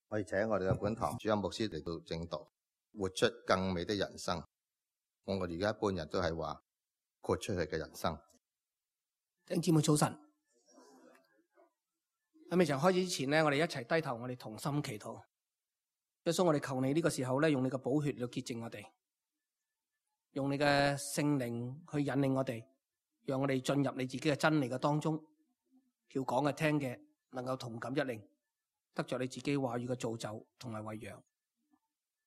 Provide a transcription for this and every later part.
我哋請我哋嘅本堂主任牧師嚟到正道，活出更美的人生。我哋而家一般人都係話豁出去嘅人生。弟兄姊妹早晨，喺未曾開始之前呢，我哋一齊低頭，我哋同心祈禱。耶穌，我哋求你呢個時候咧，用你嘅寶血嚟潔淨我哋，用你嘅聖靈去引領我哋，讓我哋進入你自己嘅真理嘅當中，叫講嘅聽嘅能夠同感一靈，得着你自己話語嘅造就同埋餵養，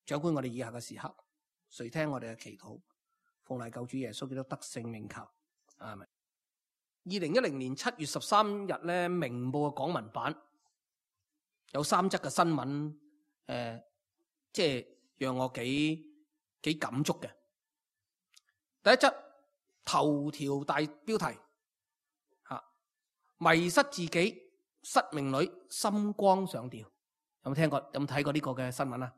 掌管我哋以下嘅時刻，垂聽我哋嘅祈禱，奉賴救主耶穌基督得勝名求，阿們。2010年7月13日咧，明報嘅港聞版有3則嘅新聞，即係讓我幾感觸嘅。第一則頭條大標題迷失自己，失明女心光上吊。有冇聽過？有冇睇過呢個嘅新聞啊？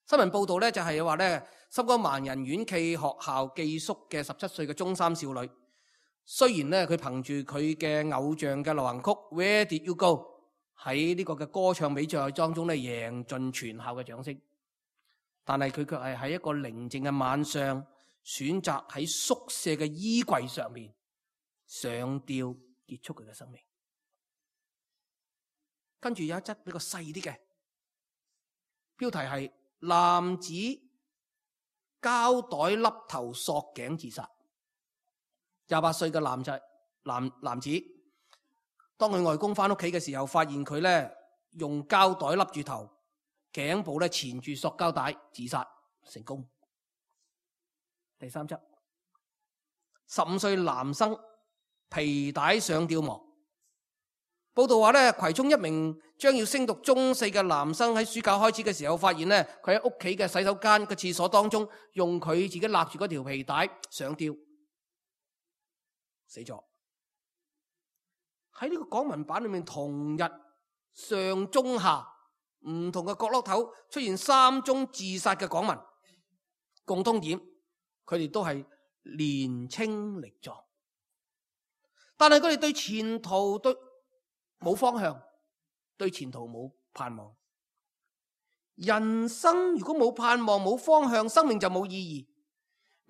新聞報道咧就係話咧，心光盲人院暨學校寄宿嘅17歲嘅中三少女。雖然咧佢憑住佢嘅偶像嘅流行曲 Where Did You Go 喺呢個嘅歌唱比賽當中咧贏盡全校嘅掌聲，但係佢卻係喺一個寧靜嘅晚上選擇喺宿舍嘅衣櫃上面上吊結束佢嘅生命。跟住有一則比較細啲嘅標題係男子膠袋笠頭索頸自殺。28歲嘅男子，當佢外公翻屋企嘅時候，發現佢咧用膠袋笠住頭，頸部咧纏住塑膠帶，自殺成功。第三則，15歲男生皮帶上吊亡。報道話咧，葵涌一名將要升讀中4嘅男生喺暑假開始嘅時候，發現咧佢喺屋企嘅洗手間嘅廁所當中，用佢自己勒住嗰條皮帶上吊。死咗。喺呢個港聞版裏面，同日上中下唔同嘅角落頭出現3宗自殺嘅港聞，共通點佢哋都係年青力壯，但係佢哋對前途都冇方向，對前途冇盼望。人生如果冇盼望冇方向，生命就冇意義。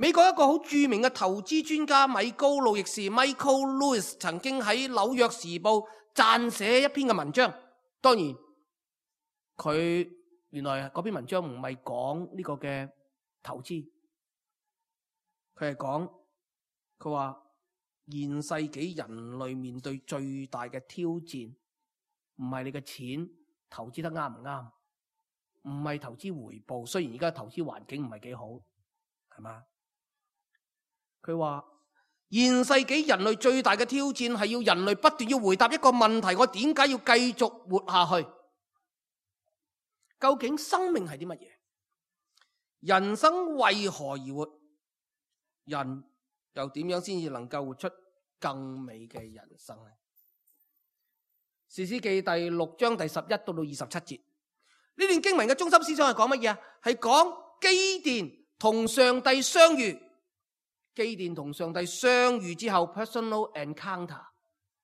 美國一個好著名嘅投資專家米高路易士 Michael Lewis 曾經喺紐約時報撰寫一篇嘅文章。當然佢原來嗰篇文章唔係講呢個嘅投資，佢係講佢話現世紀人類面對最大嘅挑戰唔係你嘅錢投資得啱唔啱，唔係投資回報，雖然而家投資環境唔係幾好，係嘛？佢話現世紀人類最大嘅挑戰係要人類不斷要回答一個問題：我點解要繼續活下去？究竟生命係啲乜嘢？人生為何而活？人又點樣先至能夠活出更美嘅人生呢？士師記第6章第11到27節，呢段經文嘅中心思想係講乜嘢啊？係講基甸同上帝相遇。基甸同上帝相遇之後 personal encounter，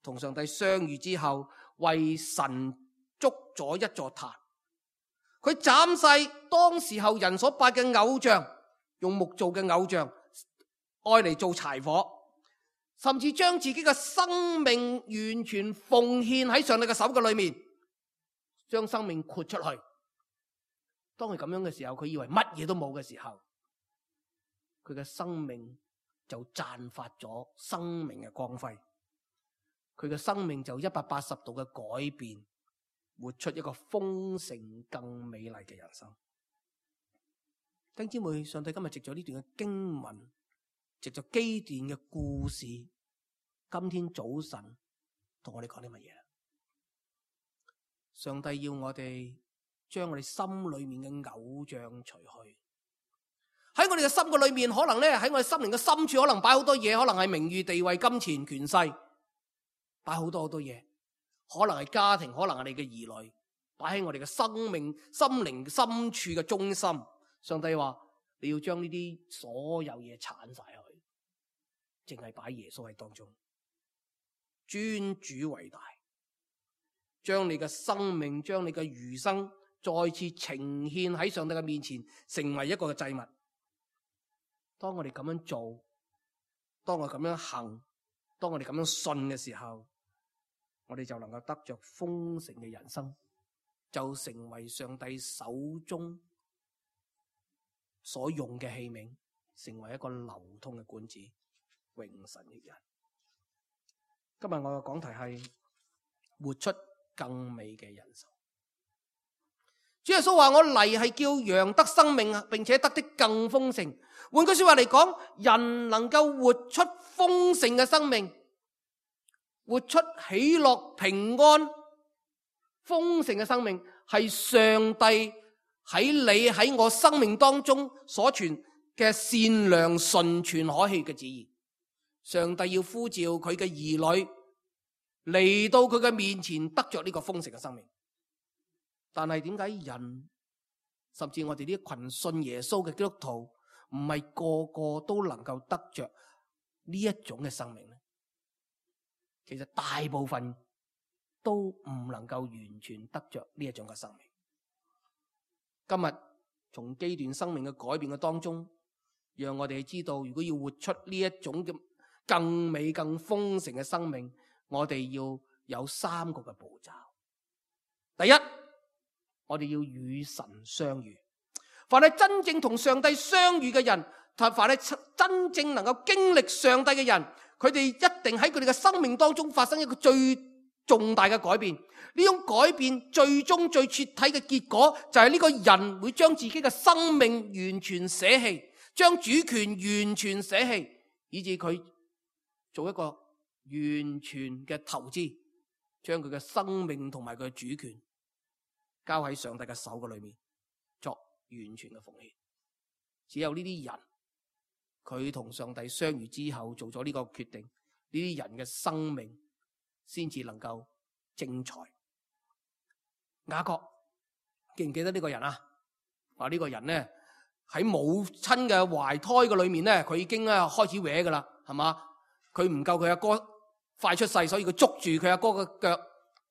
同上帝相遇之後為神築咗一座壇，佢斬晒當時候人所拜嘅偶像，用木做嘅偶像愛嚟做柴火，甚至將自己嘅生命完全奉獻喺上帝嘅手嘅裏面，將生命豁出去。當佢咁樣嘅時候，佢以為乜嘢都冇嘅時候，佢嘅生命就綻發咗生命嘅光輝，佢嘅生命就180度嘅改變，活出一個豐盛更美麗嘅人生。弟兄姊妹，上帝今日藉咗呢段嘅經文，藉咗基甸嘅故事，今天早晨同我哋講啲乜嘢？上帝要我哋將我哋心裏面嘅偶像除去。喺我哋嘅心嘅裏面，可能咧喺我哋心靈嘅深處，可能擺好多嘢，可能係名譽、地位、金錢、權勢，擺好多嘢，可能係家庭，可能係你嘅兒女，擺喺我哋嘅生命、心靈深處嘅中心。上帝話你要將呢啲所有嘢鏟晒去，淨係擺耶穌喺當中，尊主為大。將你嘅生命，將你嘅餘生再次呈獻喺上帝嘅面前，成為一個嘅祭物。當我哋咁樣做，當我哋咁樣行，當我哋咁樣信嘅時候，我哋就能夠得着豐盛嘅人生，就成為上帝手中所用嘅器皿，成為一個流通嘅管子，榮神益人。今日我嘅講題係活出更美嘅人生。主耶穌話：我嚟係叫羊得生命，並且得的更豐盛。換句說話嚟講，人能夠活出豐盛嘅生命，活出喜樂、平安、豐盛嘅生命，係上帝喺你喺我生命當中所存嘅善良、純全、可喜嘅旨意。上帝要呼召佢嘅兒女嚟到佢嘅面前，得着呢個豐盛嘅生命。但係點解人，甚至我哋呢群信耶穌嘅基督徒，唔係個個都能夠得着呢一種嘅生命呢？其實大部分都唔能夠完全得着呢一種嘅生命。今日從基段生命嘅改變嘅當中，讓我哋知道，如果要活出呢一種嘅更美、更豐盛嘅生命，我哋要有3個嘅步驟。第一，我哋要與神相遇。凡係真正同上帝相遇嘅人，凡係真正能夠經歷上帝嘅人，佢哋一定喺佢哋嘅生命當中發生一個最重大嘅改變。呢種改變最終最徹底嘅結果，就係呢個人會將自己嘅生命完全捨棄，將主權完全捨棄，以致佢做一個完全嘅投資，將佢嘅生命同埋佢嘅主權交喺上帝嘅手嘅裏面，作完全嘅奉獻。只有呢啲人，佢同上帝相遇之後做咗呢個決定，呢啲人嘅生命先至能夠精彩。雅各記唔記得呢個人啊？話呢個人咧喺母親嘅懷胎嘅裏面咧，佢已經開始搲噶啦，係嘛？佢唔夠佢阿哥快出世，所以佢捉住佢阿哥嘅腳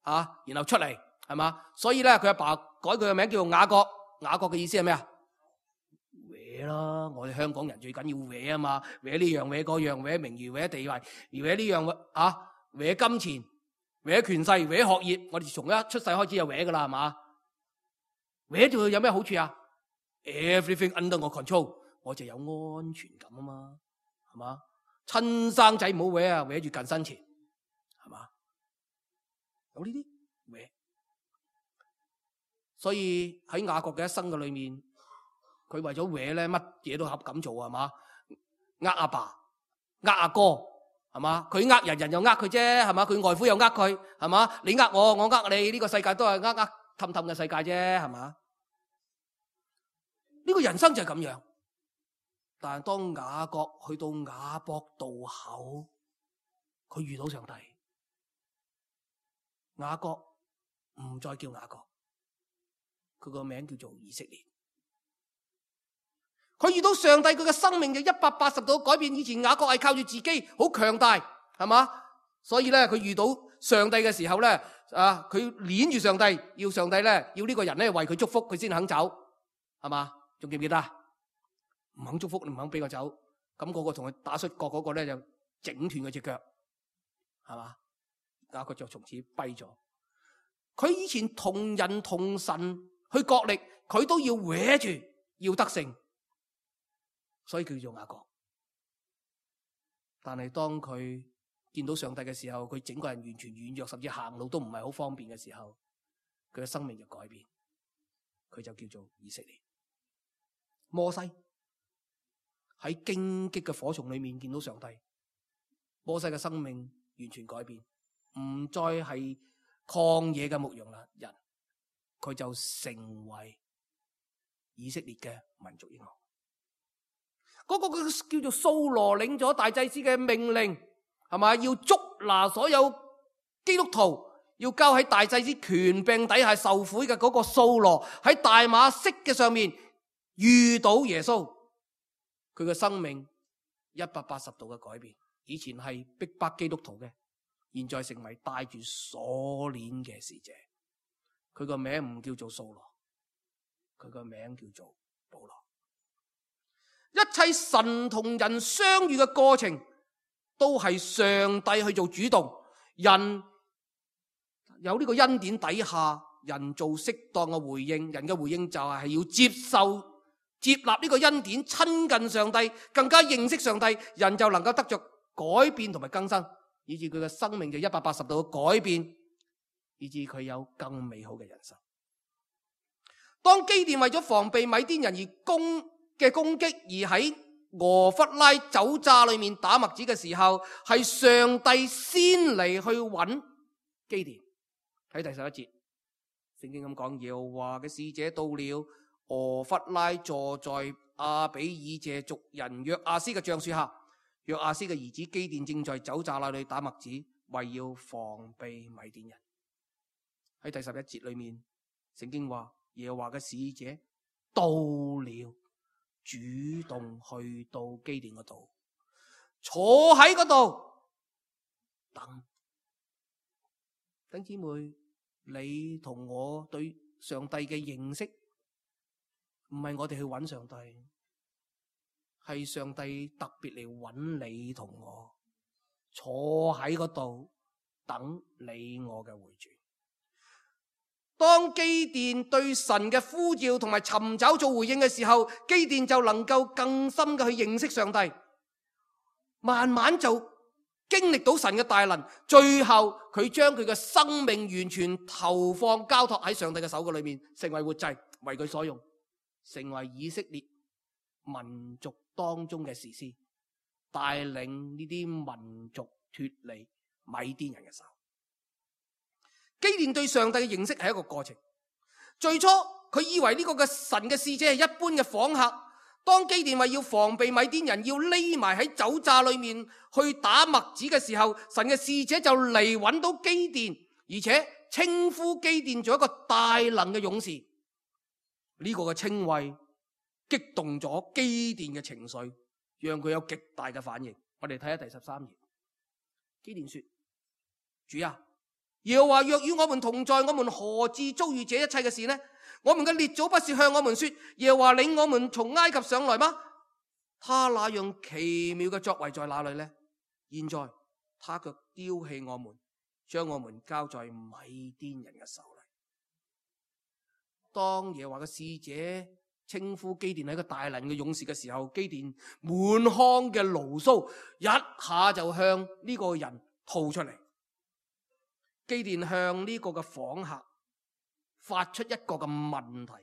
啊，然後出嚟，係嘛？所以咧佢阿爸改佢嘅名叫做雅各。雅各嘅意思係咩啊？搲啦！我哋香港人最緊要搲啊嘛，搲呢樣搲嗰樣，搲名譽搲地位，搲呢樣啊，搲金錢，搲權勢，搲學業。我哋從一出世開始就搲噶啦，係嘛？搲住有咩好處啊？ Everything under 我 control， 我就有安全感啊嘛，係嘛？親生仔唔好搲啊，搲住近身前，係嘛？有呢啲搲。所以喺雅各嘅一生嘅裏面，佢為咗搲咧，乜嘢都敢做，係嘛？呃阿爸，呃阿哥，係嘛？佢呃人，人又呃佢啫，係嘛？佢外父又呃佢，係嘛？你呃我，我呃你，呢個世界都係氹氹嘅世界啫，係嘛？呢個人生就係咁樣。但係當雅各去到雅博渡口，佢遇到上帝，雅各唔再叫雅各，佢個名叫做以色列。佢遇到上帝，佢嘅生命就180度改變。以前雅各係靠住自己好強大，係嘛？所以咧，佢遇到上帝嘅時候咧，佢鏈住上帝，要上帝咧，要呢個人咧為佢祝福，佢先肯走，係嘛？仲記唔記得？唔肯祝福，你唔肯俾佢走，咁嗰個同佢打摔角嗰個咧就整斷佢隻腳，係嘛？雅各就從此跛咗。佢以前同人同神去角力，佢都要搲住，要得勝，所以叫做雅各。但係當佢見到上帝嘅時候，佢整個人完全軟弱，甚至行路都唔係好方便嘅時候，佢嘅生命就改變，佢就叫做以色列。摩西喺荊棘嘅火叢裏面見到上帝，摩西嘅生命完全改變，唔再係曠野嘅牧羊人，佢就成為以色列嘅民族英雄。嗰個叫做掃羅領咗大祭司嘅命令，係嘛？要捉拿所有基督徒，要交喺大祭司權柄底下受苦嘅嗰個掃羅，喺大馬色嘅上面遇到耶穌，佢嘅生命180度嘅改變。以前係逼迫基督徒嘅，現在成為帶住鎖鏈嘅使者。佢個名唔叫做掃羅，佢個名叫做保羅。一切神同人相遇嘅過程，都係上帝去做主動。人有呢個恩典底下，人做適當嘅回應。人嘅回應就係要接受、接納呢個恩典，親近上帝，更加認識上帝，人就能夠得着改變同埋更新，以致佢嘅生命就180度嘅改變，以致佢有更美好嘅人生。當基甸為咗防備米甸人而攻擊，而喺俄弗拉酒榨裏面打麥子嘅時候，係上帝先嚟去揾基甸。睇第11節，聖經咁講：耶和華嘅使者到了俄弗拉，坐在亞比以謝族人約亞斯嘅橡樹下。約亞斯嘅兒子基甸正在酒榨那裏打麥子，為要防備米甸人。喺第11節裏面，聖經話耶和華嘅使者到了，主動去到基甸嗰度，坐喺嗰度等。弟兄姊妹，你同我對上帝嘅認識，唔係我哋去揾上帝，係上帝特別嚟揾你同我，坐喺嗰度等你我嘅回轉。當基甸對神嘅呼召同埋尋找做回應嘅時候，基甸就能夠更深嘅去認識上帝，慢慢就經歷到神嘅大能，最後佢將佢嘅生命完全投放交託喺上帝嘅手嘅裏面，成為活祭，為佢所用，成為以色列民族當中嘅士師，帶領呢啲民族脫離米甸人嘅手。基甸對上帝嘅認識係一個過程。最初佢以為呢個嘅神嘅使者係一般嘅訪客。當基甸話要防備米甸人，要匿埋喺酒榨裏面去打麥子嘅時候，神嘅使者就嚟揾到基甸，而且稱呼基甸做一個大能嘅勇士。呢個嘅稱謂激動咗基甸嘅情緒，讓佢有極大嘅反應。我哋睇下第13頁。基甸說：主啊，耶和華若與我們同在，我們何至遭遇這一切嘅事呢？我們嘅列祖不是向我們說，耶和華領我們從埃及上來嗎？他那樣奇妙嘅作為在哪裏呢？現在他卻丟棄我們，將我們交在米甸人嘅手裏。當耶和華嘅使者稱呼基甸係一個大能嘅勇士嘅時候，基甸滿腔嘅牢騷一下就向呢個人吐出嚟。基甸向呢個嘅訪客發出一個嘅問題，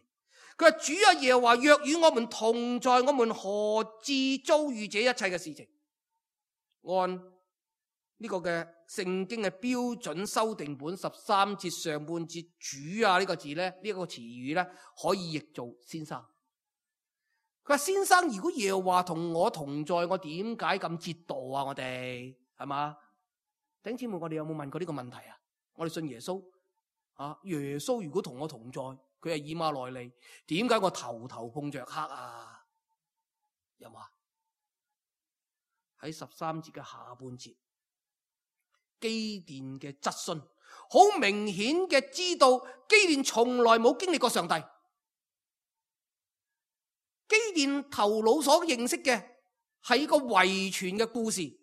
佢話：主啊，耶和華若與我們同在，我們何至遭遇這一切嘅事情？按呢個嘅聖經嘅標準修訂本13節上半節，主啊呢個字咧，呢個詞語咧，可以譯做先生。佢話：先生，如果耶和華同我同在，我點解咁折墮啊？我哋係嘛？弟兄姊妹，我哋有冇問過呢個問題啊？我哋信耶穌啊，耶穌如果同我同在，佢係以馬內利，點解我頭頭碰着黑啊？有冇啊？喺13節嘅下半節，基甸嘅質詢，好明顯嘅知道基甸從來冇經歷過上帝。基甸頭腦所認識嘅係一個遺傳嘅故事。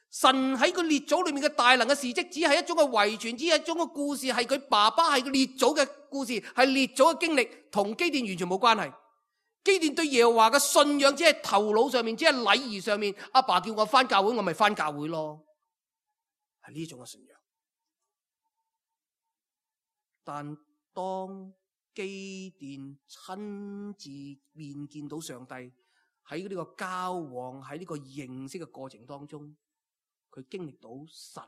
神喺佢列祖裏面嘅大能嘅事蹟，只係一種嘅遺傳，只係一種嘅故事，係佢爸爸係佢列祖嘅故事，係列祖嘅經歷，同基甸完全冇關係。基甸對耶和華嘅信仰只係頭腦上面，只係禮儀上面。阿爸叫我返教會，我咪返教會咯，係呢種嘅信仰。但當基甸親自面見到上帝，喺呢個交往，喺呢個認識嘅過程當中，佢經歷到神，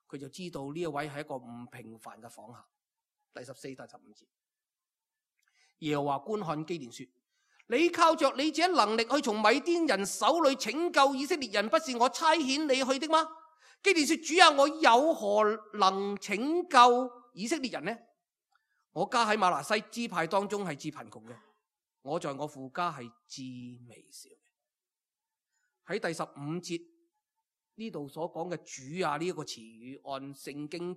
佢就知道呢一位係一個唔平凡嘅訪客。第14、第15節，耶和華觀看基甸說：你靠着你這能力去從米甸人手裏拯救以色列人，不是我差遣你去的嗎？基甸說：主啊，我有何能拯救以色列人呢？我家喺瑪拿西支派當中係至貧窮嘅，我在我父家係至微小嘅。喺第15節。呢度所講嘅主啊呢一個詞語，按聖經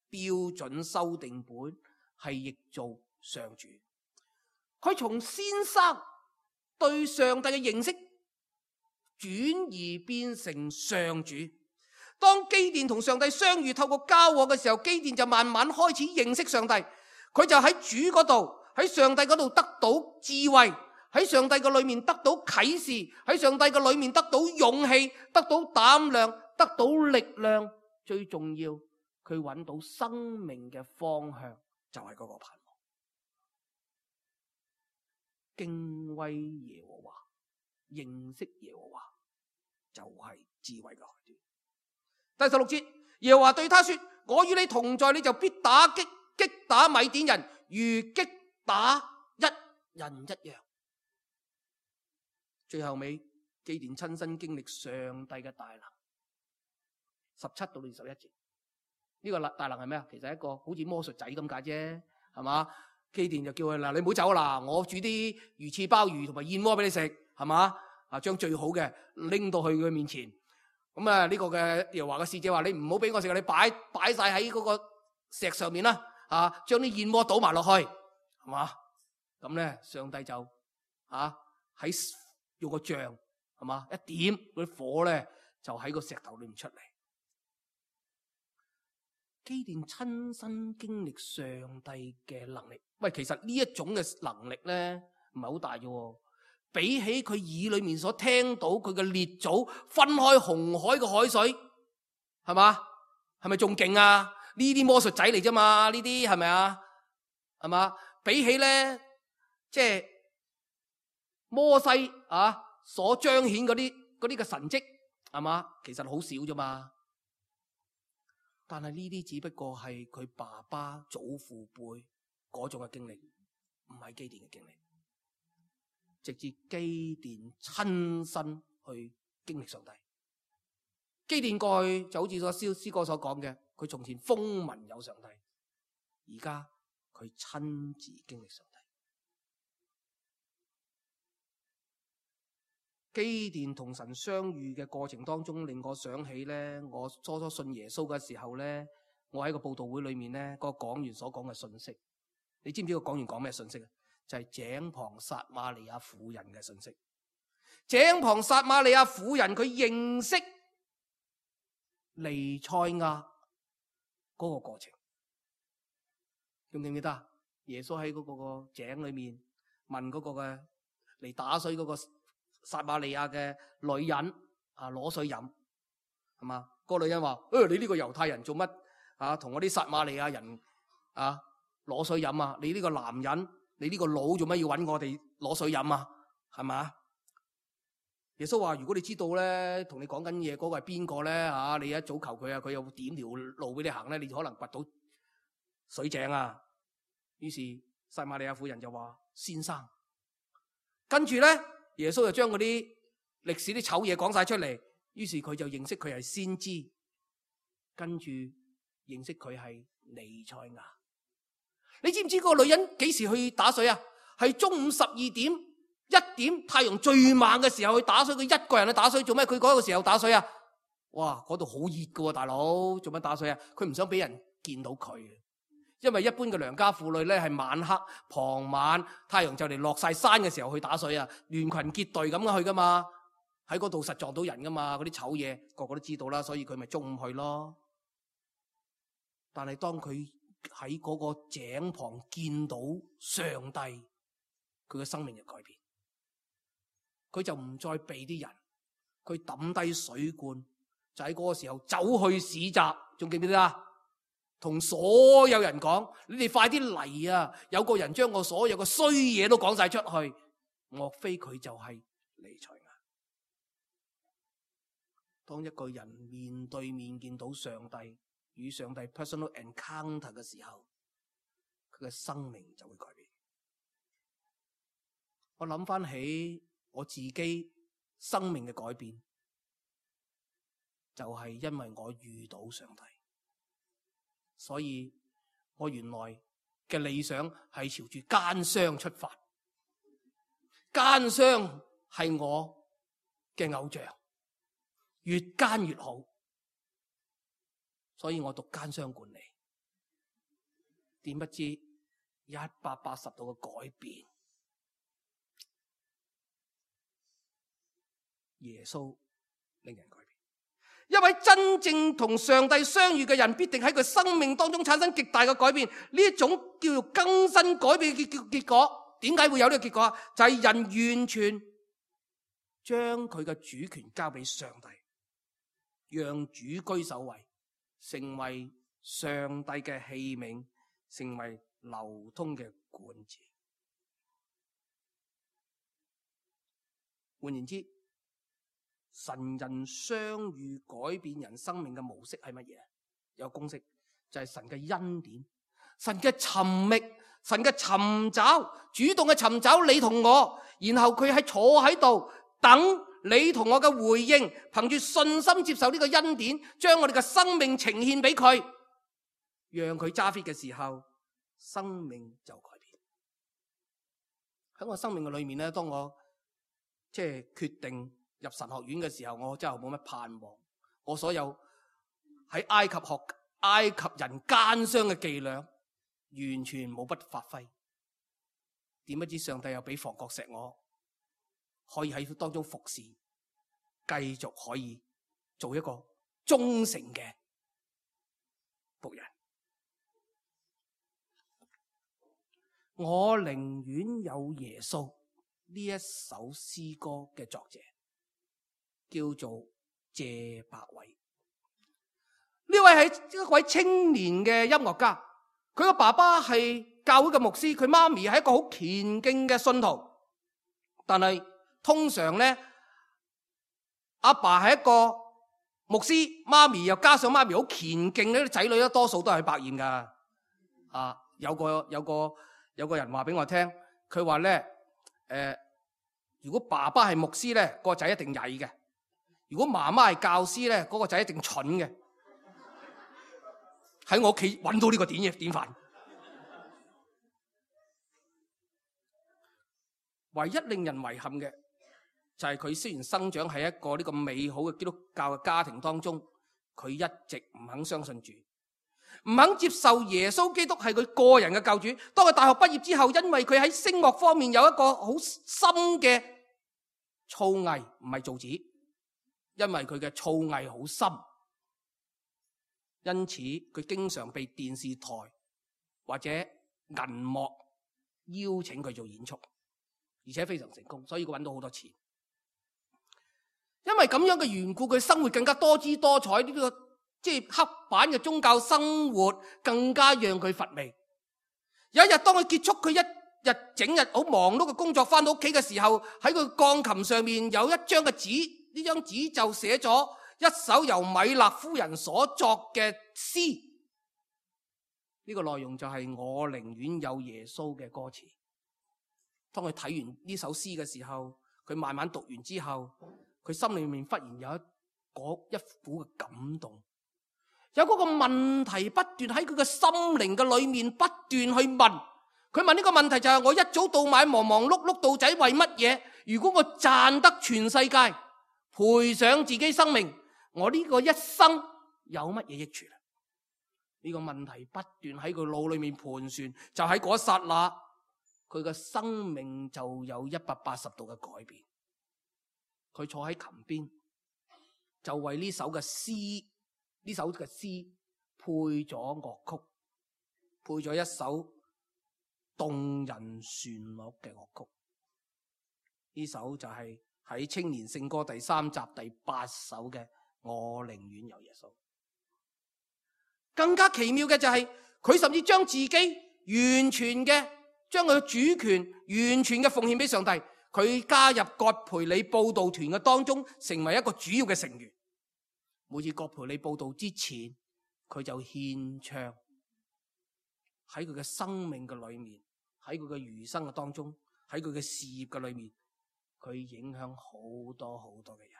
標準修訂本係譯做上主。佢從先生對上帝嘅認識轉移變成上主。當基甸同上帝相遇，透過交往嘅時候，基甸就慢慢開始認識上帝。佢就喺主嗰度，喺上帝嗰度得到智慧，喺上帝嘅裏面得到啟示，喺上帝嘅裏面得到勇氣，得到膽量，得到力量。最重要，佢揾到生命嘅方向，就係嗰個盼望。敬畏耶和華，認識耶和華，就係智慧嘅開端。第16節，耶和華對他說：我與你同在，你就必擊打米甸人，如擊打一人一樣。最後尾，基甸親身經歷上帝嘅大能。17到21節，呢個大能係咩啊？其實係一個好似魔術仔咁解啫，係嘛？基甸就叫佢嗱，你唔好走啦，我煮啲魚翅鮑魚同埋燕窩俾你食，係嘛？啊，將最好嘅拎到去佢面前。咁啊，呢個嘅耶和華嘅使者話：你唔好俾我食，你擺晒喺嗰個石上面啦，啊，將啲燕窩倒埋落去，係嘛？咁咧，上帝就喺用個杖，係嘛，一點嗰啲火咧，就喺個石頭裏面出嚟。基甸親身經歷上帝嘅能力。喂，其實呢一種嘅能力咧，唔係好大嘅。比起佢耳裏面所聽到佢嘅列祖分開紅海嘅海水，係嘛？係咪仲勁啊？呢啲魔術仔嚟啫嘛？呢啲係咪啊？係嘛？比起咧，即係摩西所彰顯嗰啲嘅神蹟，係嘛？其實好少啫嘛。但係呢啲只不過係佢爸爸祖父輩嗰種嘅經歷，唔係基甸嘅經歷。直至基甸親身去經歷上帝。基甸過去就好似個詩歌所講嘅，佢從前風聞有上帝，而家佢親自經歷上帝。基甸同神相遇嘅過程當中，令我想起咧，我初初信耶穌嘅時候咧，我喺個佈道會裏面咧，個講員所講嘅信息。你知唔知個講員講咩信息啊？就係井旁撒瑪利亞婦人嘅信息。井旁撒瑪利亞婦人佢認識彌賽亞嗰個過程，記唔記得啊？耶穌喺嗰個井裏面問嗰個嘅嚟打水嗰個撒瑪利亞嘅女人攞水飲，係嘛？嗰個女人話：你呢個猶太人做乜同我啲撒瑪利亞人攞水飲啊？你呢個男人，你呢個佬做乜要搵我哋攞水飲啊？係嘛？耶穌話：如果你知道咧，同你講緊嘢嗰個係邊個咧你一早求佢佢又點條路俾你行咧，你就可能掘到水井啊。於是撒瑪利亞婦人就話：先生。跟住咧，耶穌就將嗰啲歷史啲醜嘢講晒出嚟。於是佢就認識佢係先知，跟住認識佢係彌賽亞。你知唔知嗰個女人幾時去打水啊？係中午12點、1點太陽最猛嘅時候去打水。佢一個人去打水做咩？佢嗰個時候打水啊？哇，嗰度好熱噶，大佬做乜打水啊？佢唔想俾人見到佢，因為一般嘅良家婦女咧係晚黑、傍晚太陽就嚟落晒山嘅時候去打水啊，聯群結隊咁樣去噶嘛，喺嗰度實撞到人噶嘛，嗰啲醜嘢個個都知道啦，所以佢咪中午去咯。但係當佢喺嗰個井旁見到上帝，佢嘅生命就改變，佢就唔再避啲人，佢抌低水罐，就喺嗰個時候走去市集，仲記唔記得啊？同所有人講：你哋快啲嚟啊！有個人將我所有嘅衰嘢都講晒出去，莫非佢就係彌賽亞？當一個人面對面見到上帝，與上帝 personal encounter 嘅時候，佢嘅生命就會改變。我諗翻起我自己生命嘅改變，就係因為我遇到上帝，所以我原來嘅理想係朝住奸商出發，奸商係我嘅偶像，越奸越好，所以我讀奸商管理，點不知180度嘅改變。耶穌令人改變，一位真正同上帝相遇嘅人，必定喺佢生命當中產生極大嘅改變。呢一種叫做更新改變嘅結果，點解會有呢個結果？就係人完全將佢嘅主權交俾上帝，讓主居首位，成為上帝嘅器皿，成為流通嘅管子。換言之，神人相遇改變人生命嘅模式係乜嘢？有公式，就係神嘅恩典，神嘅尋覓，神嘅尋找，主動嘅尋找你同我，然後佢喺坐喺度等你同我嘅回應，憑住信心接受呢個恩典，將我哋嘅生命呈獻俾佢，讓佢揸 fit 嘅時候，生命就改變。喺我生命嘅裏面咧，當我決定入神學院嘅時候，我真係冇乜盼望。我所有喺埃及學埃及人奸商嘅伎倆，完全冇不發揮。點不知上帝又俾房角石我，可以喺當中服侍，繼續可以做一個忠誠嘅僕人。我寧願有耶穌，呢一首詩歌嘅作者叫做謝百偉。呢位係一位青年嘅音樂家，佢個爸爸係教會嘅牧師，佢媽咪係一個好虔敬嘅信徒。但係通常咧，阿爸係一個牧師，媽咪又加上媽咪好虔敬，呢啲仔女咧多數都係百厭噶。有個人話俾我聽，佢話咧，如果爸爸係牧師咧，個仔一定曳嘅；如果媽媽係教師咧，嗰個仔一定蠢嘅。喺我屋企揾到呢個典範。唯一令人遺憾嘅就係佢雖然生長喺一個呢個美好嘅基督教嘅家庭當中，佢一直唔肯相信主，唔肯接受耶穌基督係佢個人嘅救主。當佢大學畢業之後，因為佢喺聲樂方面有一個好深嘅造詣，唔係造紙，因為佢嘅造詣好深，因此佢經常被電視台或者銀幕邀請佢做演出，而且非常成功，所以佢揾到好多錢。因為咁樣嘅緣故，佢生活更加多姿多彩，呢個黑板嘅宗教生活更加讓佢乏味。有一日，當佢結束佢一日整日好忙碌嘅工作，翻到屋企嘅時候，喺佢鋼琴上面有一張嘅紙，呢張紙就寫咗一首由米勒夫人所作嘅詩。呢個內容就係我寧願有耶穌嘅歌詞。當佢睇完呢首詩嘅時候，佢慢慢讀完之後，佢心裏面忽然有一股嘅感動，有嗰個問題不斷喺佢嘅心靈嘅裏面不斷去問。佢問呢個問題就係：我一早到晚忙忙碌碌到底為乜嘢？如果我賺得全世界，賠上自己生命，我呢個一生有乜嘢益處？呢個問題不斷喺佢腦裏面盤旋，就喺嗰一剎那，佢嘅生命就有180度嘅改變。佢坐喺琴邊，就為呢首嘅詩配咗樂曲，配咗一首動人旋律嘅樂曲。呢首就係喺青年聖歌第3集第8首嘅《我寧願有耶穌》。更加奇妙嘅就係，佢甚至將自己完全嘅將佢嘅主權完全嘅奉獻俾上帝。佢加入葛培理佈道團嘅當中，成為一個主要嘅成員。每次葛培理佈道之前，佢就獻唱。喺佢嘅生命嘅裏面，喺佢嘅餘生嘅當中，喺佢嘅事業嘅裏面，佢影響好多好多嘅人。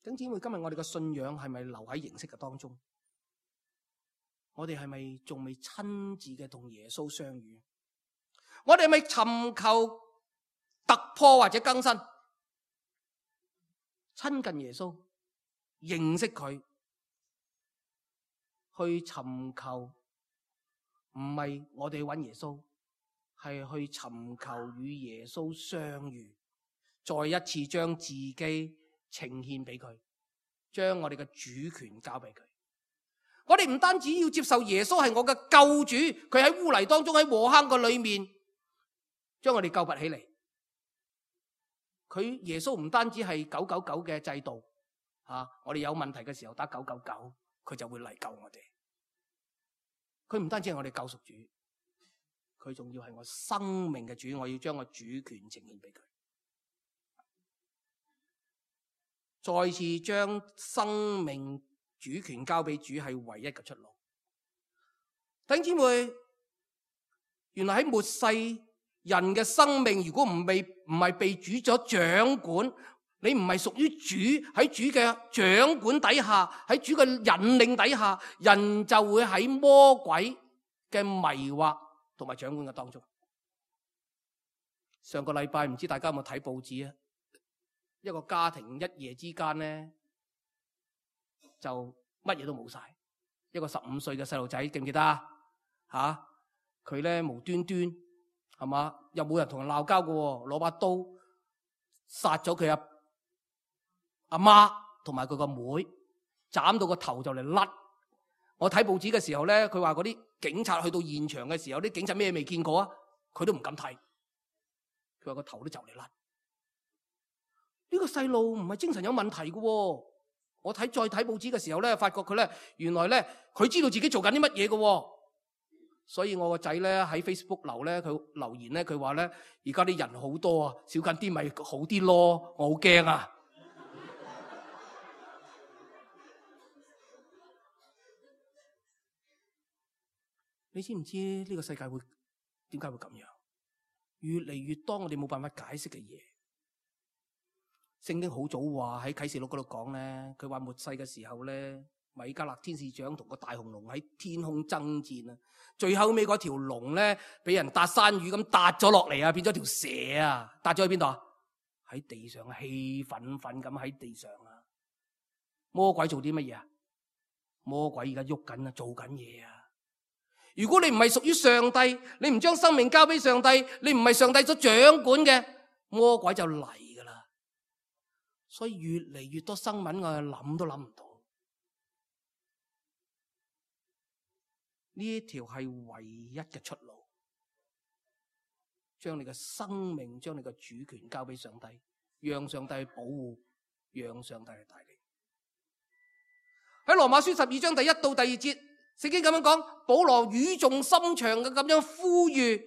弟兄姊妹，今日我哋嘅信仰係咪留喺形式嘅當中？我哋係咪仲未親自嘅同耶穌相遇？我哋係咪尋求突破或者更新？親近耶穌，認識佢，去尋求，唔係我哋揾耶穌，係去尋求與耶穌相遇，再一次將自己呈獻俾佢，將我哋嘅主權交俾佢。我哋唔單止要接受耶穌係我嘅救主，佢喺污泥當中，喺禍坑個裏面將我哋救拔起嚟。佢耶穌唔單止係999嘅制度，我哋有問題嘅時候打999，佢就會嚟救我哋。佢唔單止係我哋救贖主，佢仲要係我生命嘅主，我要將我主權呈現俾佢。再次將生命主權交俾主係唯一嘅出路。弟兄姊妹，原來喺末世人嘅生命，如果唔係被主咗掌管，你唔係屬於主，喺主嘅掌管底下，喺主嘅引領底下，人就會喺魔鬼嘅迷惑同埋掌管嘅當中。上個禮拜唔知大家有冇睇報紙啊？一個家庭一夜之間咧就乜嘢都冇晒。一個15歲嘅細路仔，記唔記得啊？佢咧無端端係嘛，又冇人同人鬧交嘅，攞把刀殺咗佢阿媽同埋佢個妹，斬到個頭就嚟甩。我睇報紙嘅時候咧，佢話嗰啲警察去到現場嘅時候，啲警察咩未見過啊？佢都唔敢睇。佢話個頭都就嚟甩。呢個細路唔係精神有問題嘅。我再睇報紙嘅時候咧，發覺佢咧原來咧佢知道自己做緊啲乜嘢嘅。所以我個仔咧喺 Facebook 佢留言咧，佢話咧而家啲人好多啊，少緊啲咪好啲咯。我好驚啊！你知唔知呢個世界會點解會咁樣？越嚟越多我哋冇辦法解釋嘅嘢。聖經好早話喺啟示錄嗰度講咧，佢話末世嘅時候咧，米迦勒天使長同個大紅龍喺天空爭戰啊！最後尾嗰條龍咧，俾人搭山魚咁搭咗落嚟啊，變咗條蛇啊！搭咗去邊度啊？喺地上氣憤憤咁喺地上啊！魔鬼做啲乜嘢啊？魔鬼而家喐緊啊，做緊嘢啊！如果你唔係屬於上帝，你唔將生命交俾上帝，你唔係上帝所掌管嘅，魔鬼就嚟噶啦。所以越嚟越多新聞我諗都諗唔到。呢一條係唯一嘅出路，將你嘅生命，將你嘅主權交俾上帝，讓上帝去保護，讓上帝去帶領。喺羅馬書12章第1到第2節，聖經咁樣講，保羅語重心長嘅咁樣呼籲，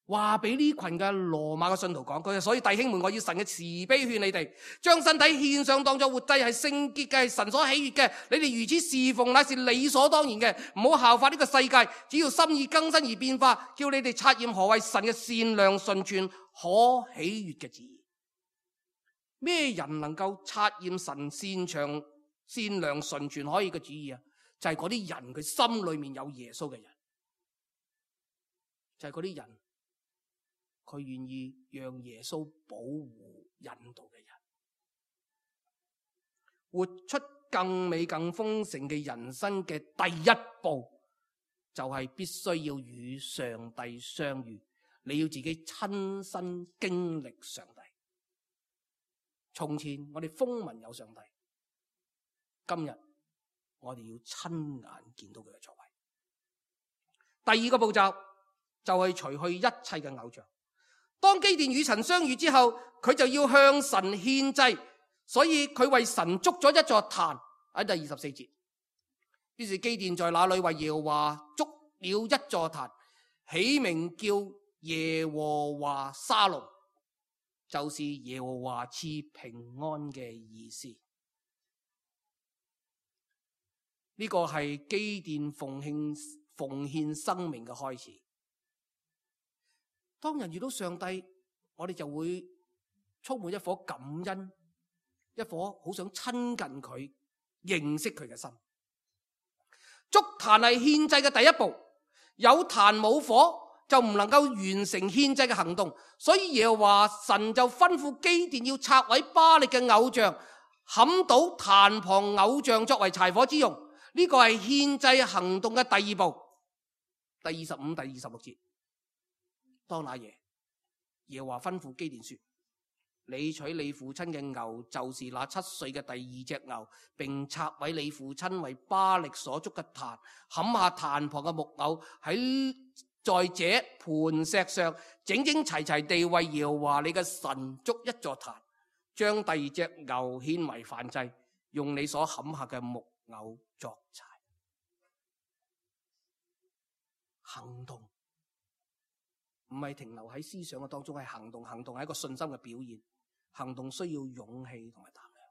話俾呢群嘅羅馬嘅信徒講，佢話所以弟兄們，我要神嘅慈悲勸你哋，將身體獻上當作活祭，係聖潔嘅，係神所喜悅嘅。你哋如此侍奉，乃是理所當然嘅。唔好效法呢個世界，只要心意更新而變化，叫你哋察驗何為神嘅善良、純全、可喜悅嘅旨意。咩人能夠察驗神善良、純全、可喜嘅旨意啊？就係嗰啲人，佢心裏面有耶穌嘅人，就係嗰啲人。佢願意讓耶穌保護引導嘅人，活出更美更豐盛嘅人生嘅第一步，就係必須要與上帝相遇。你要自己親身經歷上帝。從前我哋風聞有上帝，今日我哋要親眼見到佢嘅作為。第二個步驟就係除去一切嘅偶像。當基甸與神相遇之後，佢就要向神獻祭，所以佢為神築咗一座壇，喺第24節。於是基甸在那裏為耶和華築了一座壇，起名叫耶和華沙龍，就是耶和華賜平安嘅意思。呢個係基甸奉獻生命嘅開始。當人遇到上帝，我哋就會充滿一顆感恩，一顆好想親近佢、認識佢嘅心。築壇係獻祭嘅第一步，有壇冇火就唔能夠完成獻祭嘅行動，所以耶和華神就吩咐基甸要拆毀巴力嘅偶像，砍倒壇旁偶像作為柴火之用。呢個係獻祭行動嘅第二步。第25、第26節，當那夜，耶和華吩咐基甸說：你取你父親嘅牛，就是那7歲嘅第2隻牛，並拆毀你父親為巴力所築嘅壇，砍下壇旁嘅木偶，在這磐石上整整齊齊地為耶和華你嘅神築一座壇，將第2隻牛獻為燔祭，用你所砍下嘅木偶作柴。行動唔係停留喺思想嘅當中，係行動。行動係一個信心嘅表現。行動需要勇氣同埋膽量。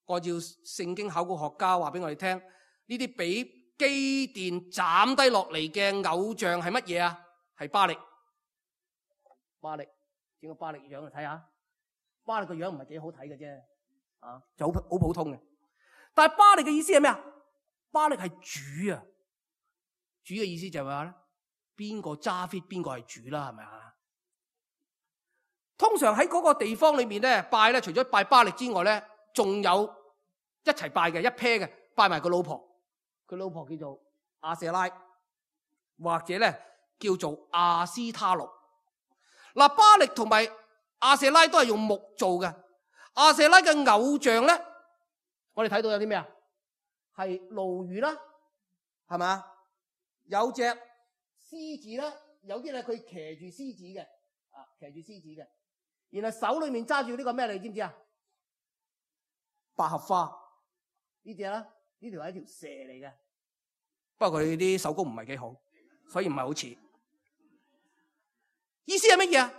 按照聖經考古學家話俾我哋聽，呢啲俾基甸斬低落嚟嘅偶像係乜嘢啊？係巴力。巴力，整個巴力樣嚟睇下。巴力個樣唔係幾好睇嘅啫，就好普通嘅。但係巴力嘅意思係咩啊？巴力係主啊！主嘅意思就係話咧，邊個揸 fit 邊個係主啦，係咪啊？通常喺嗰個地方裏面咧拜咧，除咗拜巴力之外咧，仲有一齊拜嘅一 pair 嘅，拜埋個老婆。佢老婆叫做亞舍拉，或者咧叫做亞斯他錄。嗱，巴力同埋亞舍拉都係用木做嘅。亞舍拉嘅偶像咧，我哋睇到有啲咩啊？係鱸魚啦，係咪？有隻獅子啦，有啲咧佢騎住獅子嘅，騎住獅子嘅，然後手裏面揸住呢個咩，你知唔知啊？百合花呢隻啦，呢條係一條蛇嚟嘅，不過佢啲手工唔係幾好，所以唔係好似。意思係乜嘢啊？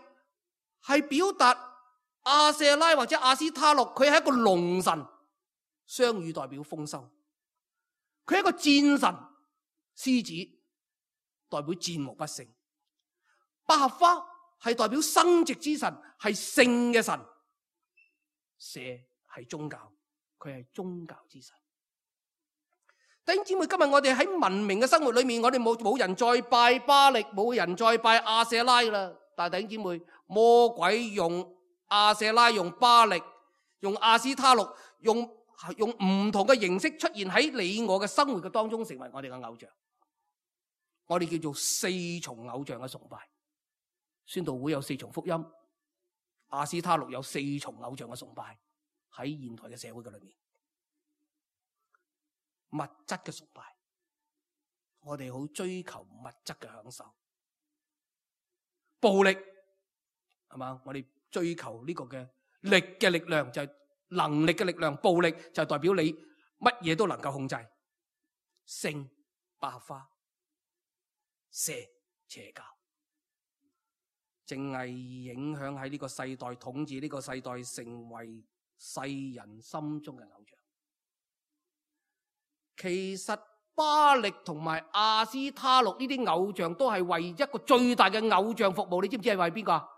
係表達亞舍拉或者亞斯他錄，佢係一個龍神，雙語代表豐收。佢係一個戰神，獅子代表戰無不勝。百合花係代表生殖之神，係聖嘅神。蛇係宗教，佢係宗教之神。弟兄姊妹，今日我哋喺文明嘅生活裏面，我哋冇人再拜巴力，冇人再拜亞舍拉啦。但係弟兄姊妹，魔鬼用亞舍拉、用巴力、用亞斯他錄、用唔同嘅形式出現喺你我嘅生活嘅當中，成為我哋嘅偶像。我哋叫做4重偶像嘅崇拜。宣道會有4重福音，亞斯他錄有4重偶像嘅崇拜，喺現代嘅社會嘅裏面。物質嘅崇拜，我哋好追求物質嘅享受。暴力係嘛？我哋追求呢個嘅力嘅力量，就係能力嘅力量。暴力就代表你乜嘢都能夠控制。性、百合花、蛇、邪教，淨係影響喺呢個世代，統治呢個世代，成為世人心中嘅偶像。其實巴力同埋亞斯他錄呢啲偶像都係為一個最大嘅偶像服務。你知唔知係為邊個？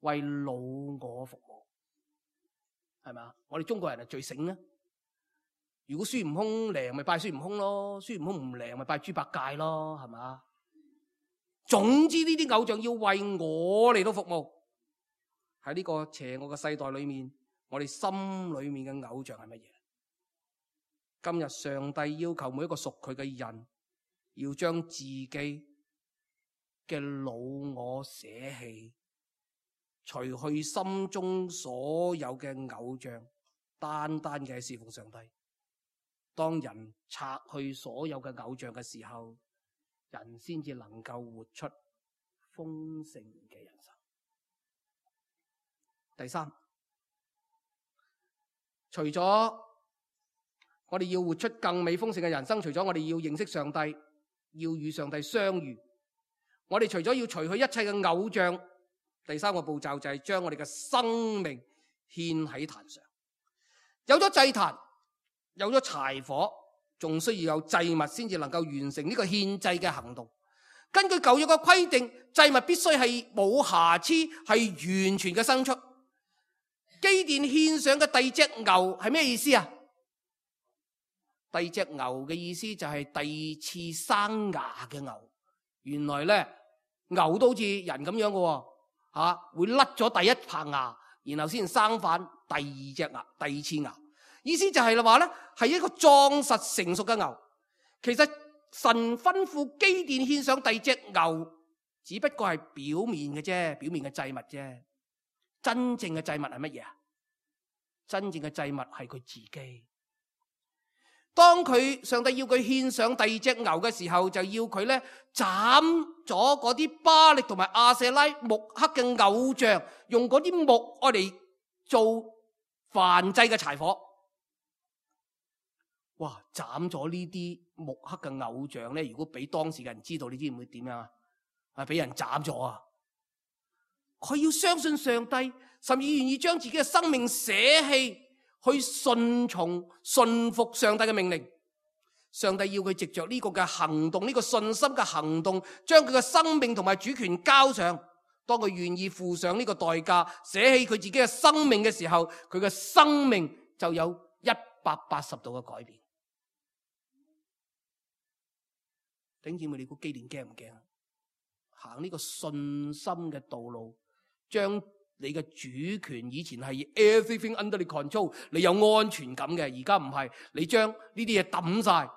為老我服務，係咪？我哋中國人係最醒啦。如果孫悟空靈咪拜孫悟空咯，孫悟空唔靈咪拜豬八戒咯，係咪？總之呢啲偶像要為我嚟到服務。喺呢個邪惡嘅世代裏面，我哋心裏面嘅偶像係乜嘢？今日上帝要求每一個屬佢嘅人，要將自己嘅老我捨棄，除去心中所有嘅偶像，單單嘅侍奉上帝。當人拆去所有嘅偶像嘅時候，人先至能夠活出豐盛嘅人生。第三，除咗我哋要活出更美豐盛嘅人生，除咗我哋要認識上帝，要與上帝相遇，我哋除咗要除去一切嘅偶像，第三個步驟就係將我哋嘅生命獻喺壇上。有咗祭壇，有咗柴火，仲需要有祭物先至能夠完成呢個獻祭嘅行動。根據舊約嘅規定，祭物必須係冇瑕疵，係完全嘅牲畜。基甸獻上嘅第二隻牛係咩意思啊？第二隻牛嘅意思就係第二次生牙嘅牛。原來咧，牛都好似人咁樣嘅喎，會甩咗第一棚牙，然後先生返第二次牙。意思就係話咧，係一個壯實成熟嘅牛。其實神吩咐基甸獻上第二隻牛，只不過係表面嘅啫，表面嘅祭物啫。真正嘅祭物係乜嘢啊？真正嘅祭物係佢自己。當上帝要佢獻上第二隻牛嘅時候，就要佢咧斬咗嗰啲巴力同埋亞舍拉木刻嘅偶像，用嗰啲木愛嚟做燔祭嘅柴火。哇！斬咗呢啲木刻嘅偶像咧，如果俾當時嘅人知道，你知唔會點樣啊？俾人斬咗啊！佢要相信上帝，甚至願意將自己嘅生命捨棄，去順服上帝嘅命令。上帝要佢藉着呢個嘅行動，呢個信心嘅行動，將佢嘅生命同埋主權交上。當佢願意付上呢個代價，捨棄佢自己嘅生命嘅時候，佢嘅生命就有180度嘅改變。弟兄姊妹，你估基甸驚唔驚啊？行呢個信心嘅道路，將你嘅主權，以前係 everything under the control， 你有安全感嘅，而家唔係，你將呢啲嘢抌晒，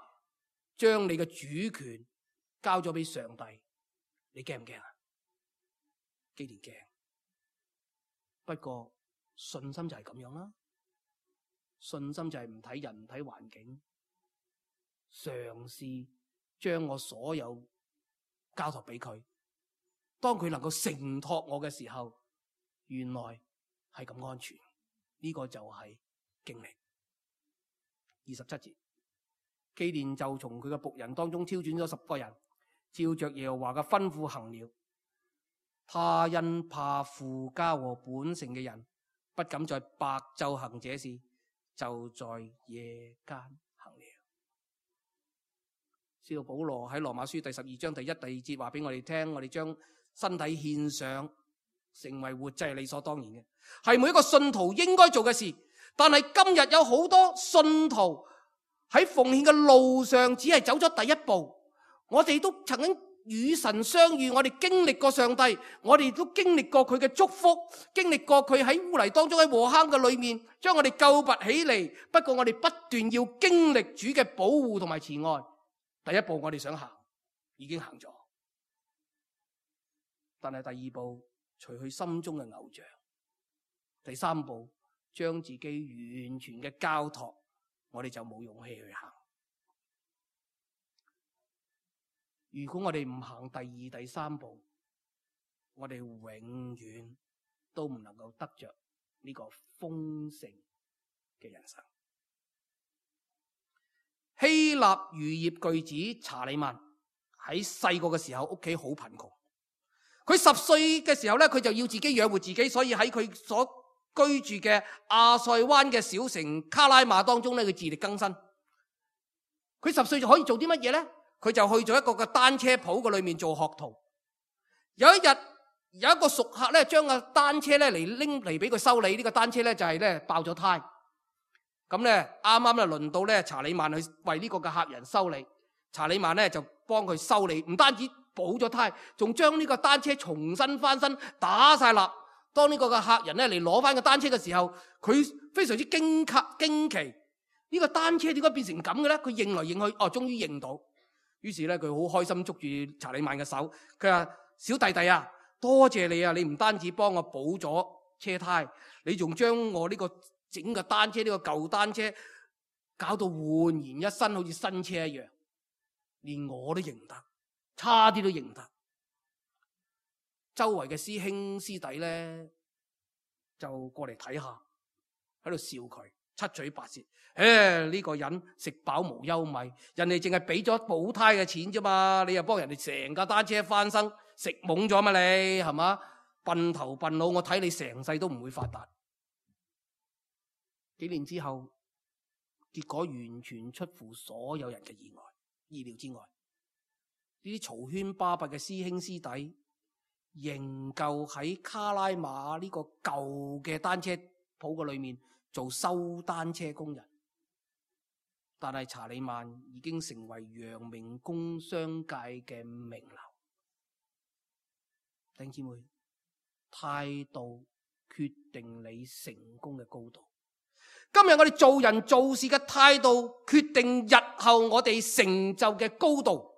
將你嘅主權交咗俾上帝，你驚唔驚啊？基甸驚，不過信心就係咁樣啦，信心就係唔睇人唔睇環境，嘗試將我所有交託俾佢，當佢能夠承托我嘅時候，原來係咁安全，呢個就係經歷。27節，基甸就從佢嘅僕人當中挑選咗10個人，照着耶和華嘅吩咐行了。他因怕父家和本城嘅人，不敢在白晝行這事，就在夜間行了。使徒保羅喺羅馬書第12章第1、第2節話俾我哋聽，我哋將身體獻上成為活祭係理所當然嘅，係每一個信徒應該做嘅事。但係今日有好多信徒喺奉獻嘅路上只係走咗第一步。我哋都曾經與神相遇，我哋經歷過上帝，我哋都經歷過佢嘅祝福，經歷過佢喺污泥當中喺禍坑嘅裏面將我哋救拔起嚟。不過我哋不斷要經歷主嘅保護同埋慈愛。第一步我哋想行，已經行咗，但係第二步除去心中嘅偶像，第三步將自己完全嘅交託，我哋就冇勇氣去行。如果我哋唔行第二、第三步，我哋永遠都唔能夠得着呢個豐盛嘅人生。希臘漁業巨子查理曼喺細個嘅時候屋企好貧窮，佢10歲嘅時候咧，佢就要自己養活自己，所以喺佢所居住嘅亞塞灣嘅小城卡拉馬當中咧，佢自力更生。佢10歲就可以做啲乜嘢咧？佢就去咗一個嘅單車鋪嘅裏面做學徒。有一日有一個熟客咧，將個單車咧嚟拎嚟俾佢修理，呢個單車咧就係咧爆咗胎。咁咧啱啱咧輪到咧查理曼去為呢個嘅客人修理，查理曼咧就幫佢修理，唔單止補咗胎，仲將呢個單車重新翻身打晒蠟。當呢個嘅客人咧嚟攞翻個單車嘅時候，佢非常之驚奇，呢個單車點解變成咁嘅咧？佢認來認去，終於認到。於是咧佢好開心捉住查理曼嘅手，佢話：小弟弟啊，多謝你啊！你唔單止幫我補咗車胎，你仲將我呢個整個單車呢個舊單車搞到煥然一新，好似新車一樣，連我都認唔得，差啲都認唔得。周圍嘅師兄師弟咧就過嚟睇下，喺度笑佢，七嘴八舌。呢個人食飽無憂米，人哋淨係俾咗補胎嘅錢啫嘛，你又幫人哋成架單車翻生，食懵咗嘛你係嘛？笨頭笨腦，我睇你成世都唔會發達。幾年之後，結果完全出乎所有人嘅意料之外。呢啲嘈喧巴閉嘅師兄師弟，仍舊喺卡拉馬呢個舊嘅單車鋪嘅裏面做修單車工人。但係查理曼已經成為陽明工商界嘅名流。弟兄姊妹，態度決定你成功嘅高度。今日我哋做人做事嘅態度，決定日後我哋成就嘅高度。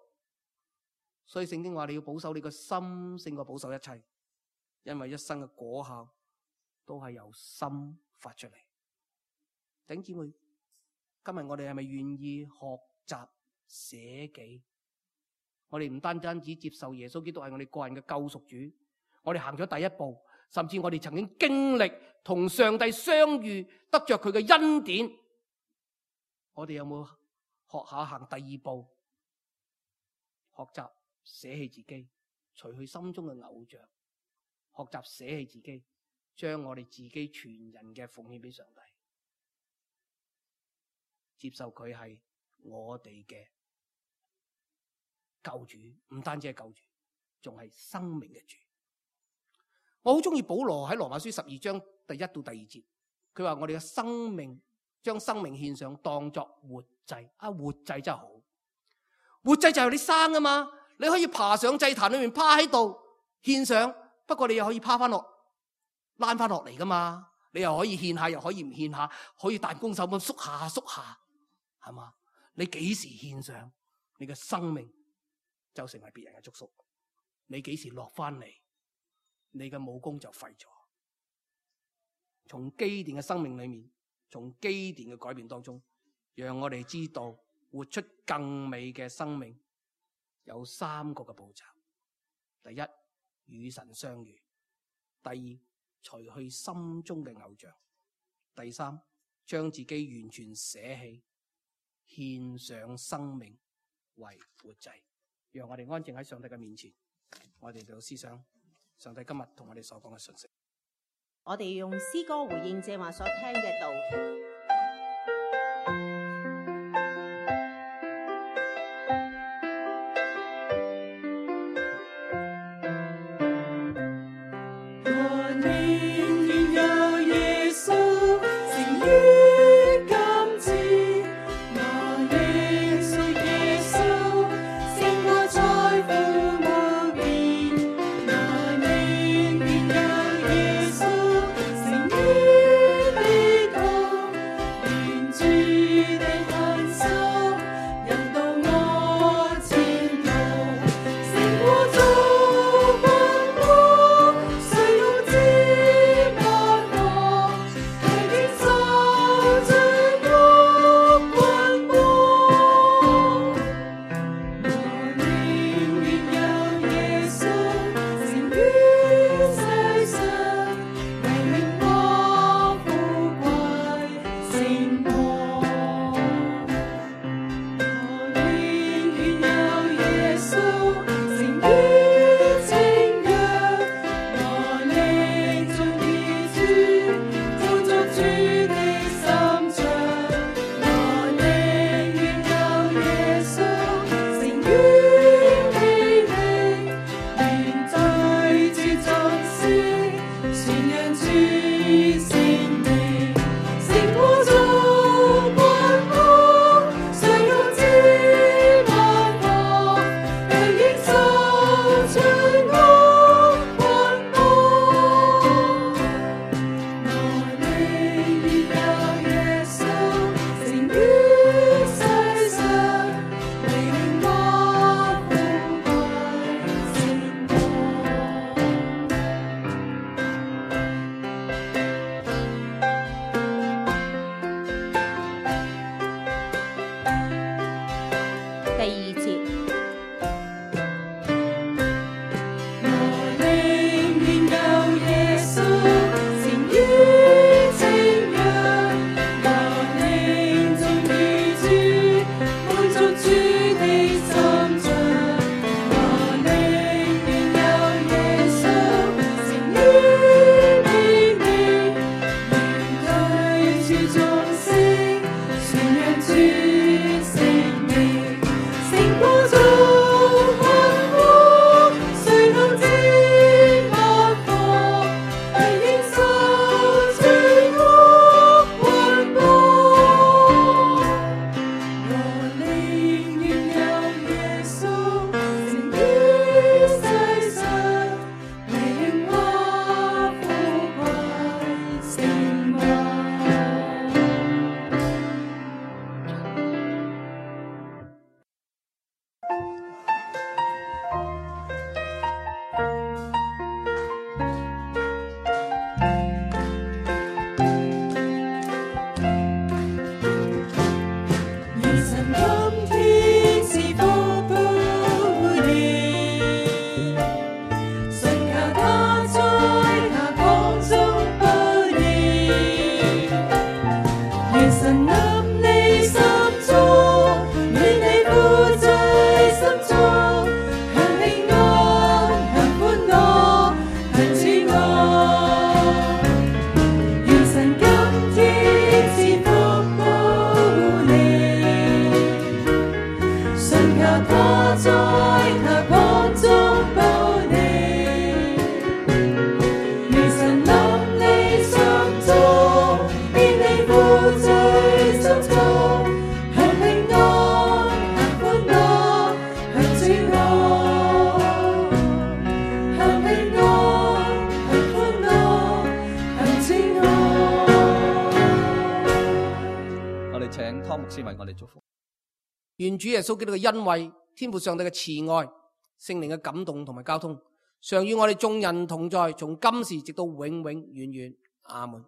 所以聖經話你要保守你個心勝過保守一切，因為一生嘅果效都係由心發出嚟。弟兄姊妹，今日我哋係咪願意學習捨己？我哋唔單止接受耶穌基督係我哋個人嘅救贖主，我哋行咗第一步，甚至我哋曾經經歷同上帝相遇，得着佢嘅恩典。我哋有冇學下行第二步，學習捨棄自己，除去心中嘅偶像，學習捨棄自己，將我哋自己全人嘅奉獻俾上帝，接受佢係我哋嘅救主，唔單止係救主，仲係生命嘅主。我好中意保羅喺羅馬書12章第1到第2節，佢話我哋嘅生命將生命獻上，當作活祭。活祭真係好，活祭就係你生啊嘛，你可以爬上祭壇裏面趴喺度獻上，不過你又可以趴翻落躝翻落嚟噶嘛，你又可以獻下，又可以唔獻下，可以彈弓手咁縮下縮下，係嘛？你幾時獻上，你嘅生命就成為別人嘅祝福。你幾時落翻嚟，你嘅武功就廢咗。從基甸嘅生命裏面，從基甸嘅改變當中，讓我哋知道活出更美嘅生命有3個嘅步驟。第一，與神相遇；第二，除去心中嘅偶像；第三，將自己完全捨棄，獻上生命為活祭。讓我哋安靜喺上帝嘅面前，我哋就思想上帝今日同我哋所講嘅信息。我哋用詩歌回應正話所聽嘅道。方牧師為我哋祝福。願主耶穌基督嘅恩惠、天父上帝嘅慈愛、聖靈嘅感動同埋交通，常與我哋眾人同在，從今時直到永永遠遠。阿門。